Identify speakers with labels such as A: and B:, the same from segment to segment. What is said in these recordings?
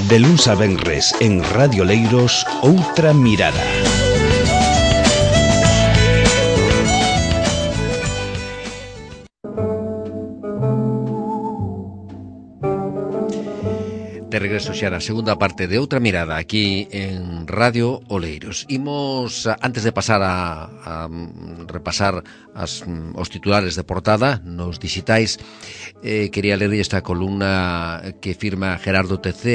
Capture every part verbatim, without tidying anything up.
A: De luns a venres en Radio Leiros, Outra Mirada.
B: De regreso xa na segunda parte de Outra Mirada aquí en Radio Oleiros. Imos, antes de pasar a, a repasar as, os titulares de portada nos digitais, eh, quería ler esta columna que firma Gerardo T C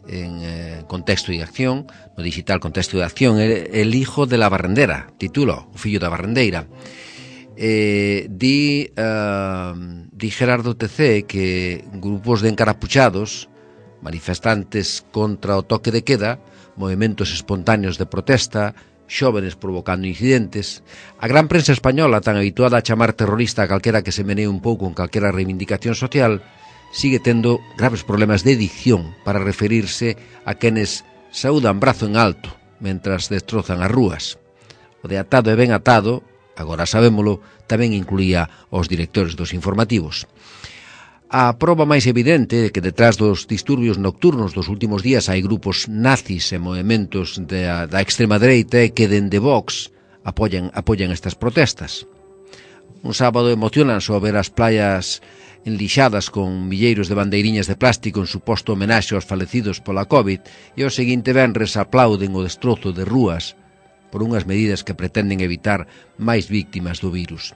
B: en eh, Contexto e Acción, no digital Contexto e Acción, el, el hijo de la barrendera, titulo, o fillo da barrendeira. Eh, di, uh, di Gerardo T C que grupos de encarapuchados, manifestantes contra o toque de queda, movimentos espontáneos de protesta, xóvenes provocando incidentes. A gran prensa española, tan habituada a chamar terrorista a calquera que se menee un pouco en calquera reivindicación social, sigue tendo graves problemas de dicción para referirse a quenes saúdan brazo en alto mentras destrozan as rúas. O de atado e ben atado, agora sabémolo, tamén incluía os directores dos informativos. A proba máis evidente de que detrás dos disturbios nocturnos dos últimos días hai grupos nazis e movimentos da, da extrema dereita e que dende Vox apoian, apoian estas protestas. Un sábado emocionanse ao ver as playas enlixadas con milleiros de bandeiriñas de plástico en suposto homenaxe aos falecidos pola COVID e ao seguinte venres aplauden o destrozo de rúas por unhas medidas que pretenden evitar máis víctimas do virus.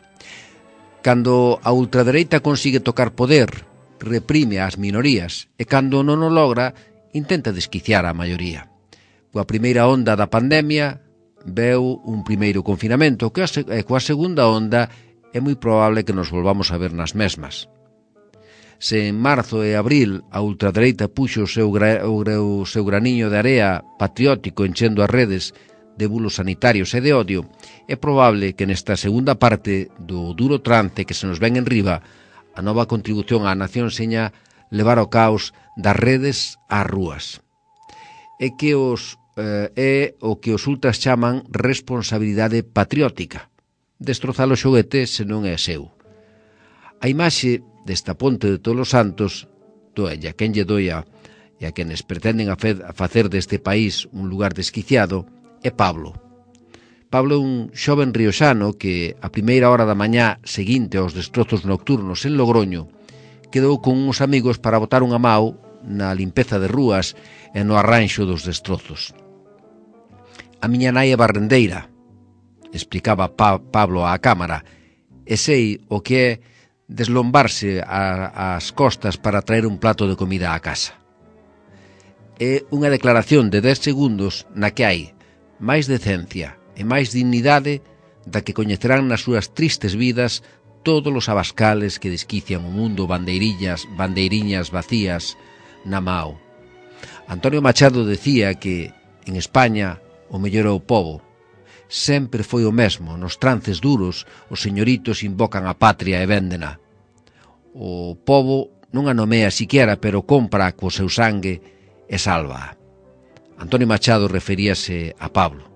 B: Cando a ultradereita consigue tocar poder, reprime as minorías e cando non o logra, intenta desquiciar a maioría. Coa primeira onda da pandemia, veu un primeiro confinamento que coa segunda onda é moi probable que nos volvamos a ver nas mesmas. Se en marzo e abril a ultradereita puxo o seu, gra, o seu graniño de area patriótico enchendo as redes de bulos sanitarios e de odio, é probable que nesta segunda parte do duro trance que se nos ven en riba, a nova contribución á nación seña levar ao caos das redes ás rúas. É que os eh, é o que os ultras chaman responsabilidade patriótica, destrozar o xoguete se non é seu. A imaxe desta ponte de Todos os Santos doelle a quen lle doia e a quenes pretenden a facer deste país un lugar desquiciado é Pablo. Pablo é un xoven rioxano que, a primeira hora da mañá seguinte aos destrozos nocturnos en Logroño, quedou con uns amigos para botar unha mau na limpeza de rúas e no arranxo dos destrozos. A miña nai é barrendeira, explicaba pa Pablo á cámara, e sei o que é deslombarse a, as costas para traer un plato de comida á casa. É unha declaración de dez segundos na que hai máis decencia e máis dignidade da que coñecerán nas súas tristes vidas todos os abascales que desquician o mundo bandeirillas, bandeiriñas vacías na mao. Antonio Machado decía que en España o mellor é o pobo. Sempre foi o mesmo, nos trances duros os señoritos invocan a patria e véndena. O pobo non a nomea siquiera, pero compra co seu sangue e salva. Antonio Machado referíase a Pablo.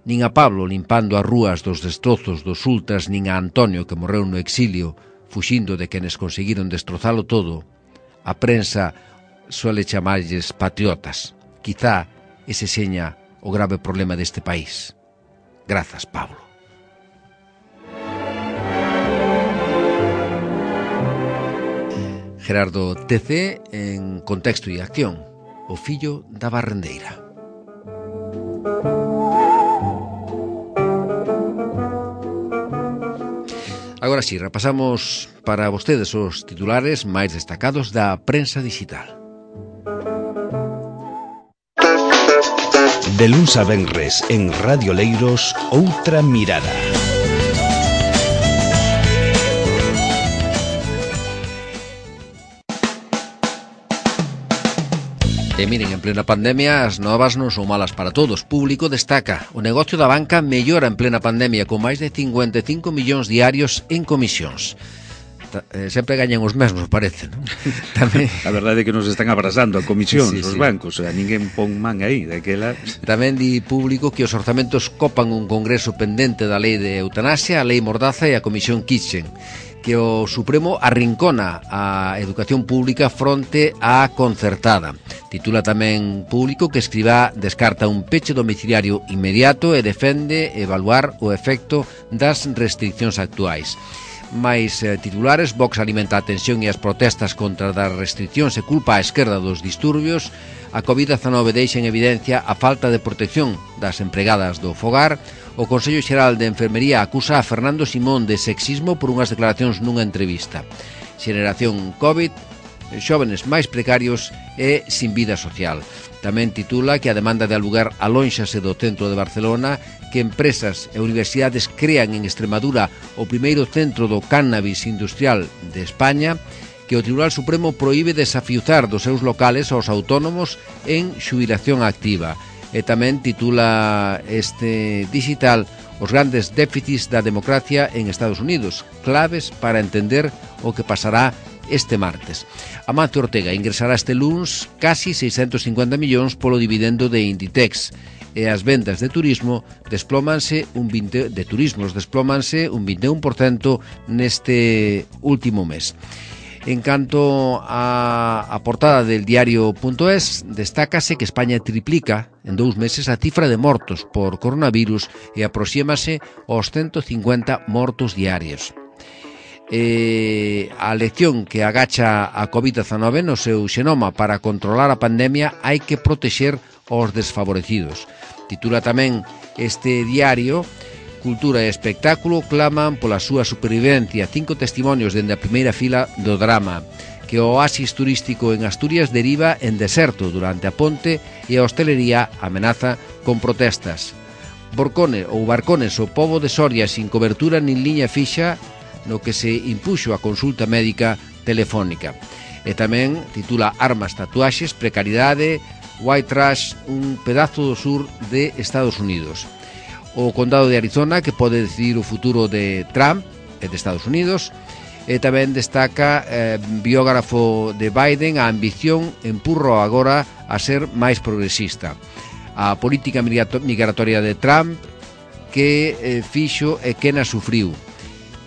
B: Nin a Pablo limpando as rúas dos destrozos dos ultras, nin a Antonio que morreu no exilio fuxindo de quenes conseguiron destrozalo todo, a prensa suele chamalles patriotas. Quizá ese seña o grave problema deste país. Grazas, Pablo. Gerardo T C en Contexto e Acción, o fillo da barrendeira. Agora sí, repasamos para vostedes os titulares máis destacados da prensa digital.
A: De luns a venres en Radio Leiros, Outra Mirada.
B: E miren, en plena pandemia as novas non son malas para todos. Público destaca: o negocio da banca mellora en plena pandemia con máis de cincuenta e cinco millóns diarios en comisións. Eh, sempre gañan os mesmos, parece, non?
C: Tamén... A verdade é que nos están abrasando a comisións, sí, os
B: sí.
C: bancos, a ninguén pon man aí, daquela...
B: Tamén di Público que os orzamentos copan un congreso pendente da lei de eutanasia, a lei Mordaza e a comisión Kitchen, que o Supremo arrincona a educación pública fronte á concertada. Titula tamén Público que Escrivá descarta un peche domiciliario inmediato e defende evaluar o efecto das restriccións actuais. Mais eh, titulares, Vox alimenta a tensión e as protestas contra das restriccións e culpa á esquerda dos disturbios. A covid dezanove deixa en evidencia a falta de protección das empregadas do fogar. O Consello Xeral de Enfermería acusa a Fernando Simón de sexismo por unhas declaracións nunha entrevista. Xeración COVID, xóvenes máis precarios e sin vida social. Tamén titula que a demanda de alugar alónxase do centro de Barcelona, que empresas e universidades crean en Extremadura o primeiro centro do cannabis industrial de España, que o Tribunal Supremo proíbe desafiuzar dos seus locales aos autónomos en xubilación activa. E tamén titula este digital os grandes déficits da democracia en Estados Unidos, claves para entender o que pasará este martes. Amancio Ortega ingresará este luns casi seiscentos cincuenta millóns polo dividendo de Inditex e as vendas de turismo desplómanse un vinte de turismos desplómanse un vinte e un por cento neste último mes. En canto a, a portada del diario.es, destácase que España triplica en dous meses a cifra de mortos por coronavirus e aproxímase aos ciento cincuenta mortos diarios. Eh, a lección que agacha a covid dezanove no seu xenoma para controlar a pandemia hai que protexer aos desfavorecidos. Titula tamén este diario: Cultura e espectáculo claman pola súa supervivencia. Cinco testimonios dende a primeira fila do drama. Que o oasis turístico en Asturias deriva en deserto durante a ponte e a hostelería amenaza con protestas. Borcone ou Barcones, o pobo de Soria sin cobertura nin liña fixa, no que se impuxo a consulta médica telefónica. E tamén titula Armas, tatuaxes, precariedade, white trash, un pedazo do sur de Estados Unidos. O condado de Arizona, que pode decidir o futuro de Trump e de Estados Unidos. E tamén destaca eh, biógrafo de Biden, a ambición empurro agora a ser máis progresista. A política migratoria de Trump que eh, fixo e que na sufriu.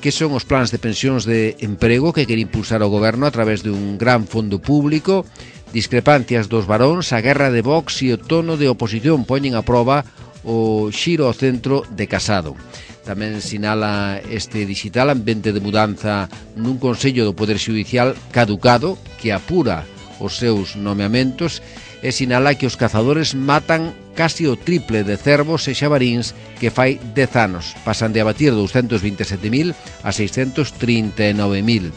B: Que son os plans de pensións de emprego que quere impulsar o goberno a través de un gran fondo público, discrepancias dos varóns, a guerra de Vox e o tono de oposición poñen a proba o xiro ao centro de Casado. Tamén sinala este digital ambiente de mudanza nun Consello do Poder Xudicial caducado que apura os seus nomeamentos e sinala que os cazadores matan casi o triple de cervos e xabaríns que fai dez anos. Pasan de abatir doscientos vinte e sete mil a seiscentos trinta e nove mil.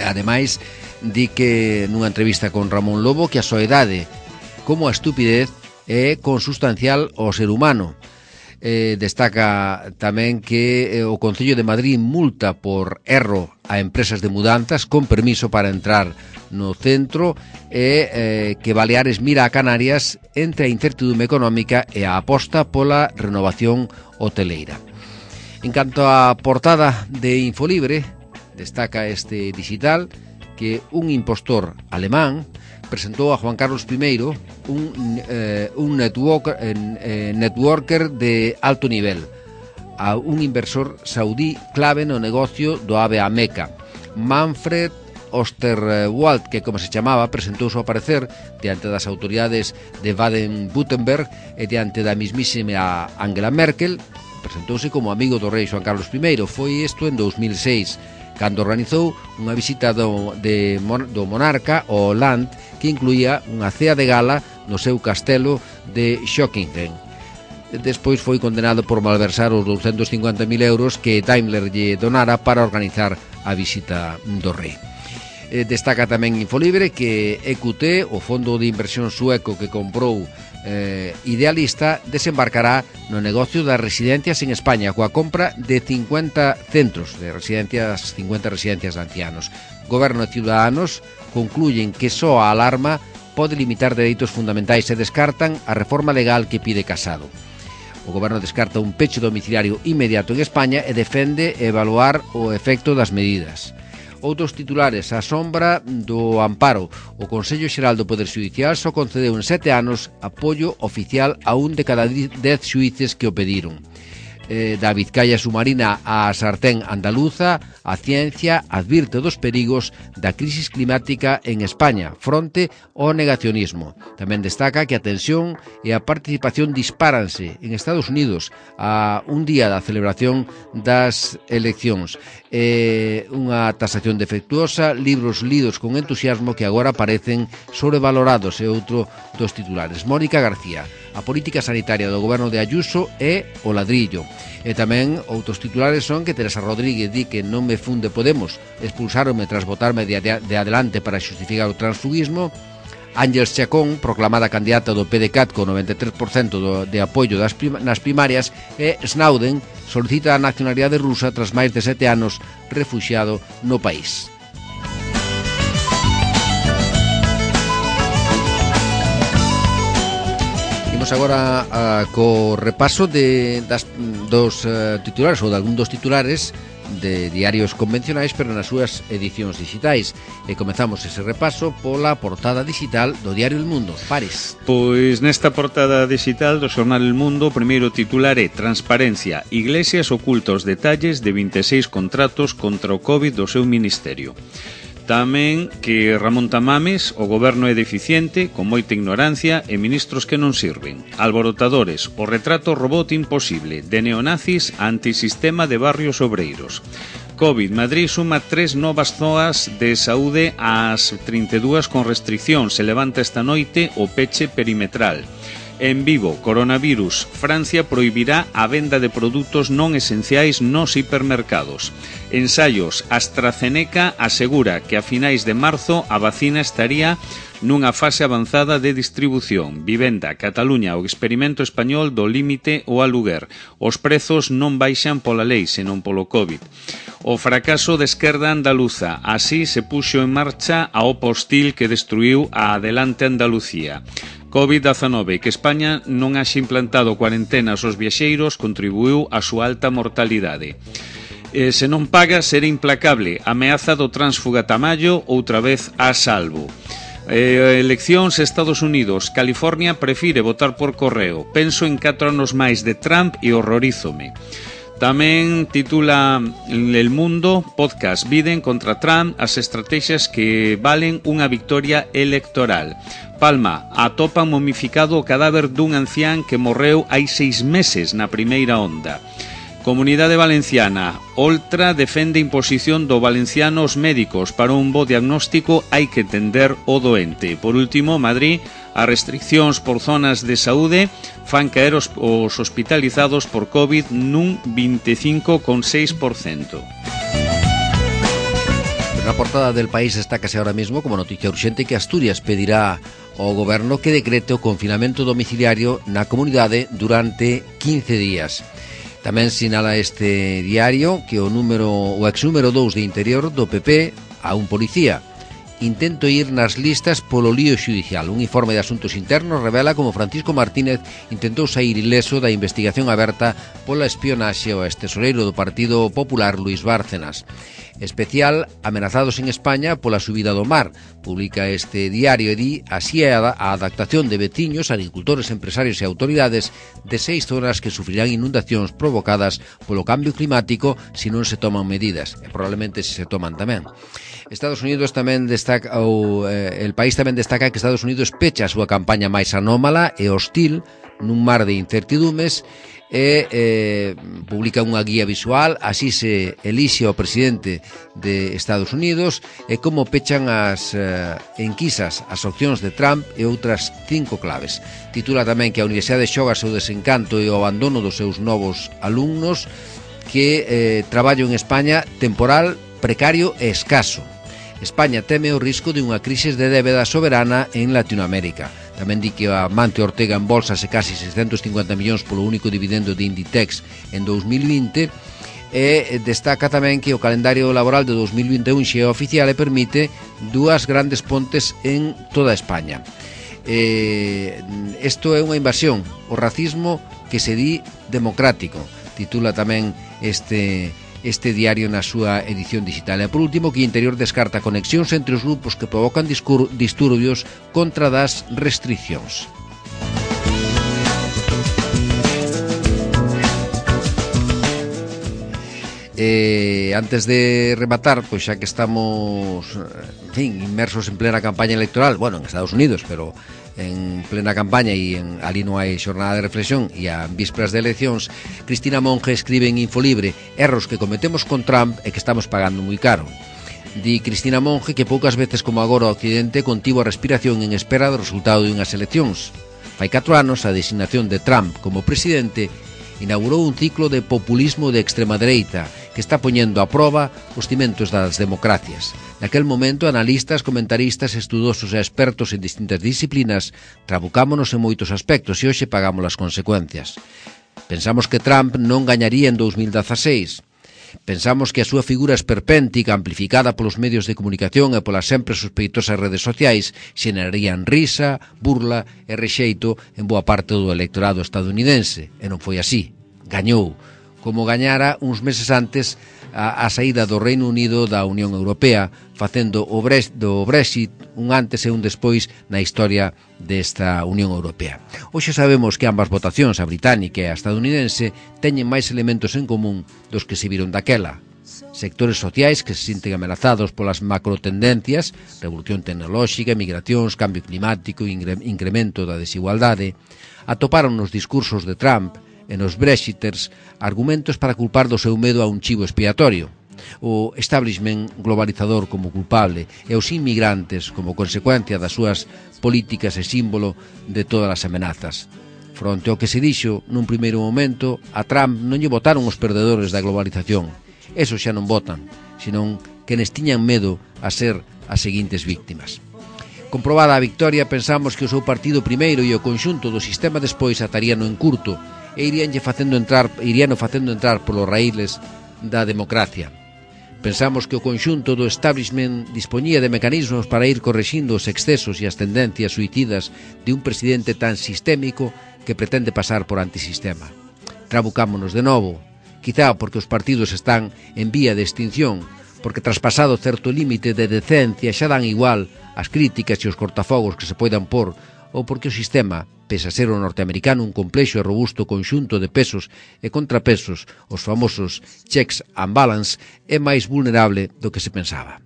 B: Ademais, di que nunha entrevista con Ramón Lobo que a soidade como a estupidez é consustancial ao ser humano. Eh, destaca tamén que eh, o Concello de Madrid multa por erro a empresas de mudanzas con permiso para entrar no centro e eh, que Baleares mira a Canarias entre a incertidumbre económica e a aposta pola renovación hoteleira. En canto á portada de Infolibre, destaca este digital que un impostor alemán presentou a Juan Carlos primeiro un, eh, un network, eh, networker de alto nivel, a un inversor saudí clave no negocio do AVE a Meca. Manfred Osterwald, que como se chamaba, presentou o seu parecer diante das autoridades de Baden-Württemberg e diante da mismísima Angela Merkel. Presentouse como amigo do rei Juan Carlos primeiro. Foi isto en dous mil seis, cando organizou unha visita do, de, do monarca ao Land, que incluía unha cea de gala no seu castelo de Schöckingen. Despois foi condenado por malversar os doscientos cincuenta mil euros que Daimler lle donara para organizar a visita do rei. Eh, destaca tamén Infolibre que E Q T, o fondo de inversión sueco que comprou eh, Idealista, desembarcará no negocio das residencias en España coa compra de cincuenta centros de residencias, cincuenta residencias de ancianos. Goberno e Ciudadanos concluyen que só a alarma pode limitar dereitos fundamentais e descartan a reforma legal que pide Casado. O Goberno descarta un peche domiciliario inmediato en España e defende evaluar o efecto das medidas. Outros titulares: a sombra do amparo. O Consello Xeral do Poder Xudicial só concedeu en sete anos apoio oficial a un de cada dez xuíces que o pediron. eh, da Vizcaya submarina á sartén andaluza, a ciencia advirte dos perigos da crisis climática en España, fronte ao negacionismo. Tamén destaca que a tensión e a participación dispáranse en Estados Unidos a un día da celebración das eleccións. Eh, unha tasación defectuosa, libros lidos con entusiasmo que agora parecen sobrevalorados, é outro dos titulares. Mónica García, a política sanitaria do goberno de Ayuso é o ladrillo. E tamén outros titulares son que Teresa Rodríguez di que non me funde Podemos, expulsáronme tras votarme de, de, de adelante para xustificar o transfugismo. Ángeles Chacón, proclamada candidata do P D C A T con noventa e tres por cento do, de apoio das prim, nas primarias, e Snowden solicita a nacionalidade rusa tras máis de sete anos refuxiado no país. Agora uh, co repaso de, das, dos uh, titulares ou de algún dos titulares de diarios convencionais, pero nas súas edicións digitais. E comezamos ese repaso pola portada digital do diario El Mundo. Pares.
C: Pois nesta portada digital do xornal El Mundo, o primeiro titular é Transparencia. Iglesias oculta os detalles de vinte e seis contratos contra o COVID do seu ministerio. Tamén que Ramón Tamames, o goberno é deficiente, con moita ignorancia e ministros que non sirven. Alborotadores, o retrato robot imposible, de neonazis a antisistema de barrios obreiros. COVID, Madrid suma tres novas zoas de saúde ás trinta e dúas con restricción. Se levanta esta noite o peche perimetral. En Vivo, coronavirus, Francia prohibirá a venda de produtos non esenciais nos hipermercados. Ensaios, AstraZeneca asegura que a finais de marzo a vacina estaría nunha fase avanzada de distribución. Vivenda, Cataluña, o experimento español do límite ao aluguer. Os prezos non baixan pola lei, senón polo COVID. O fracaso de esquerda andaluza, así se puxo en marcha a O P A hostil que destruiu a Adelante Andalucía. COVID diecinueve, que España non haxe implantado cuarentenas aos viaxeiros, contribuiu a súa alta mortalidade. Eh, se non paga, será implacable. Ameaza do tránsfuga Tamayo, outra vez a salvo. Eh, eleccións Estados Unidos. California prefire votar por correo. Penso en catro anos máis de Trump e horrorízome. Tamén titula El Mundo, podcast, Biden contra Trump, as estrategias que valen unha victoria electoral. Palma, atopan momificado o cadáver dun ancián que morreu hai seis meses na primeira onda. Comunidade Valenciana, Oltra defende imposición do valenciano aos médicos. Para un bo diagnóstico hai que entender o doente. Por último, Madrid, as restriccións por zonas de saúde fan caer os, os hospitalizados por COVID nun vinte e cinco coma seis por cento.
B: Na portada del País destácase ahora mismo como noticia urxente que Asturias pedirá ao goberno que decrete o confinamento domiciliario na comunidade durante quince días. Tamén sinala este diario que o número o ex número dous de Interior do P P a un policía. Intento ir nas listas polo lío xudicial. Un informe de Asuntos Internos revela como Francisco Martínez intentou sair ileso da investigación aberta pola espionaxe ao extesoreiro do Partido Popular Luis Bárcenas. Especial amenazados en España pola subida do mar. Publica este diario e di así é a adaptación de veciños, agricultores, empresarios e autoridades de seis zonas que sufrirán inundacións provocadas polo cambio climático se non se toman medidas. E probablemente se se toman tamén. Estados Unidos tamén destaca, ou eh, el país tamén destaca que Estados Unidos pecha a súa campaña máis anómala e hostil nun mar de incertidumes e eh, publica unha guía visual, así se elixe ao presidente de Estados Unidos e como pechan as eh, enquisas, as opcións de Trump e outras cinco claves. Titula tamén que a Universidade xoga o desencanto e o abandono dos seus novos alumnos, que eh, traballo en España temporal, precario e escaso. España teme o risco de unha crise de débeda soberana en Latinoamérica. Tamén di que a Mante Ortega embolsase casi seiscentos cincuenta millóns polo único dividendo de Inditex en dous mil vinte e destaca tamén que o calendario laboral de dous mil vinte e un xe é oficial e permite dúas grandes pontes en toda España. Eh, isto é unha invasión, o racismo que se di democrático, titula tamén este... este diario na súa edición digital. E por último, que Interior descarta conexións entre os grupos que provocan disturbios contra das restriccións. Eh, antes de rematar, pois xa que estamos, en fin, inmersos en plena campaña electoral, bueno, en Estados Unidos, pero en plena campaña e en, ali non hai xornada de reflexión e a vísperas de eleccións, Cristina Monge escribe en Infolibre erros que cometemos con Trump e que estamos pagando moi caro. Di Cristina Monge que poucas veces como agora o Occidente contivo a respiración en espera do resultado de unhas eleccións. Fai catro anos a designación de Trump como presidente inaugurou un ciclo de populismo de extrema dereita que está poñendo a proba os cimentos das democracias. Naquel momento, analistas, comentaristas, estudosos e expertos en distintas disciplinas trabucámonos en moitos aspectos e hoxe pagamos as consecuencias. Pensamos que Trump non gañaría en dous mil dezaseis. Pensamos que a súa figura esperpéntica, amplificada polos medios de comunicación e polas sempre sospeitosas redes sociais, xenerarían risa, burla e rexeito en boa parte do electorado estadounidense. E non foi así. Gañou, como gañara uns meses antes a, a saída do Reino Unido da Unión Europea, facendo o Brexit, do Brexit un antes e un despois na historia desta Unión Europea. Hoxe sabemos que ambas votacións, a británica e a estadounidense, teñen máis elementos en común dos que se viron daquela. Sectores sociais que se sinten amenazados polas macrotendencias, revolución tecnolóxica, migracións, cambio climático e incremento da desigualdade, atoparon nos discursos de Trump e nos Brexiters argumentos para culpar do seu medo a un chivo expiatorio, o establishment globalizador como culpable e os inmigrantes como consecuencia das súas políticas e símbolo de todas as amenazas. Fronte ao que se dixo nun primeiro momento, a Trump non lle votaron os perdedores da globalización. Esos xa non votan, senón que nes tiñan medo a ser as seguintes víctimas. Comprobada a victoria, pensamos que o seu partido primeiro e o conxunto do sistema despois ataríano en curto e iríanlle facendo entrar, iríano facendo entrar polos raíles da democracia. Pensamos que o conxunto do establishment dispoñía de mecanismos para ir correxindo os excesos e as tendencias suicidas de un presidente tan sistémico que pretende pasar por antisistema. Trabucámonos de novo, quizá porque os partidos están en vía de extinción, porque traspasado certo límite de decencia xa dan igual as críticas e os cortafogos que se poidan pôr, ou porque o sistema, pese a ser o norteamericano un complexo e robusto conxunto de pesos e contrapesos, os famosos checks and balance, é máis vulnerable do que se pensaba.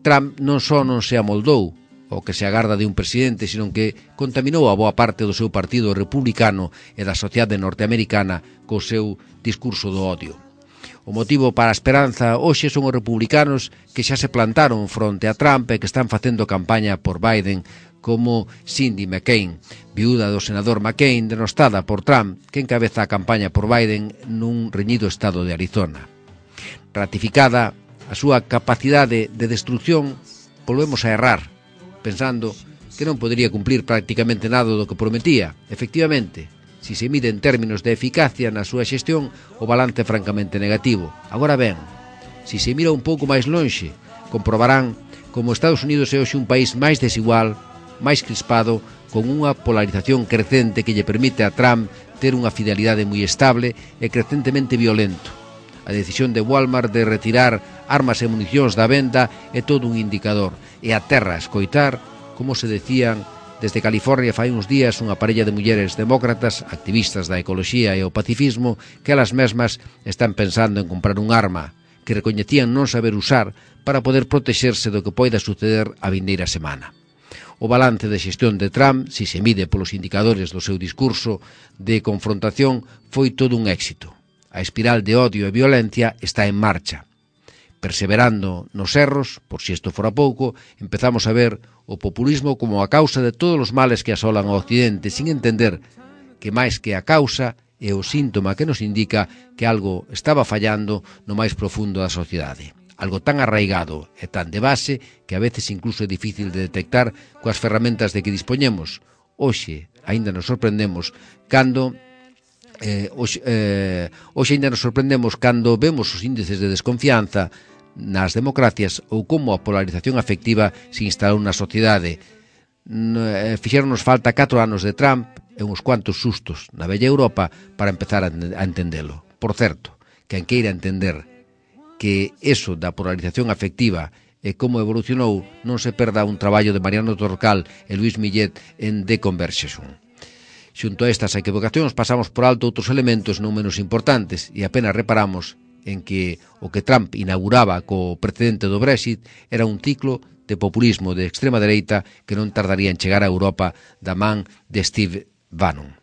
B: Trump non só non se amoldou o que se agarda de un presidente, sino que contaminou a boa parte do seu partido republicano e da sociedade norteamericana co seu discurso do odio. O motivo para a esperanza hoxe son os republicanos que xa se plantaron fronte a Trump e que están facendo campaña por Biden, como Cindy McCain, viúda do senador McCain, denostada por Trump, que encabeza a campaña por Biden nun reñido estado de Arizona. Ratificada a súa capacidade de destrucción, volvemos a errar, pensando que non podería cumplir prácticamente nada do que prometía. Efectivamente, si se mide en términos de eficacia na súa xestión, o balance é francamente negativo. Agora ben, si se mira un pouco máis lonxe, comprobarán como Estados Unidos é hoxe un país máis desigual, máis crispado, con unha polarización crecente que lle permite a Trump ter unha fidelidade moi estable e crecentemente violento. A decisión de Walmart de retirar armas e municións da venda é todo un indicador, e a terra a escoitar, como se decían desde California fai uns días unha parella de mulleres demócratas, activistas da ecoloxía e o pacifismo, que elas mesmas están pensando en comprar un arma que recoñecían non saber usar para poder protexerse do que poida suceder a vindeira semana. O balance de xestión de Trump, si se mide polos indicadores do seu discurso de confrontación, foi todo un éxito. A espiral de odio e violencia está en marcha. Perseverando nos erros, por si isto fora pouco, empezamos a ver o populismo como a causa de todos os males que asolan ao Occidente, sin entender que máis que a causa é o síntoma que nos indica que algo estaba fallando no máis profundo da sociedade. Algo tan arraigado e tan de base que a veces incluso é difícil de detectar coas ferramentas de que dispoñemos. Hoxe, aínda nos sorprendemos cando eh, hoxe, eh, hoxe aínda nos sorprendemos cando vemos os índices de desconfianza nas democracias ou como a polarización afectiva se instalou na sociedade. Fixéronos falta catro anos de Trump e uns cuantos sustos na bella Europa para empezar a entendelo. Por certo, quen queira entender que eso da polarización afectiva e como evolucionou non se perda un traballo de Mariano Torcal e Luis Millet en The Conversation. Xunto a estas equivocacións pasamos por alto outros elementos non menos importantes e apenas reparamos en que o que Trump inauguraba co precedente do Brexit era un ciclo de populismo de extrema dereita que non tardaría en chegar a Europa da man de Steve Bannon.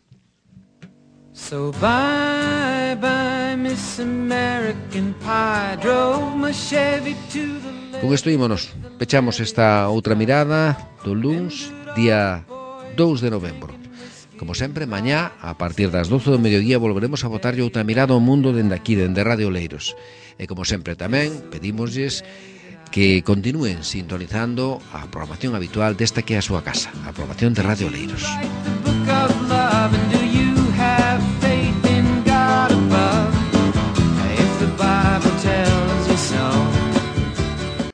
D: So bye bye Miss American Pie, drove my Chevy to the...
B: Con isto ímonos, pechamos esta outra mirada do luns, día dous de novembro. Como sempre, mañá, a partir das doce do mediodía, volveremos a botarlle outra mirada ao mundo dende aquí, dende Radio Oleiros. E como sempre tamén, pedímoslles que continúen sintonizando a programación habitual desta que é a súa casa, a programación de Radio Oleiros.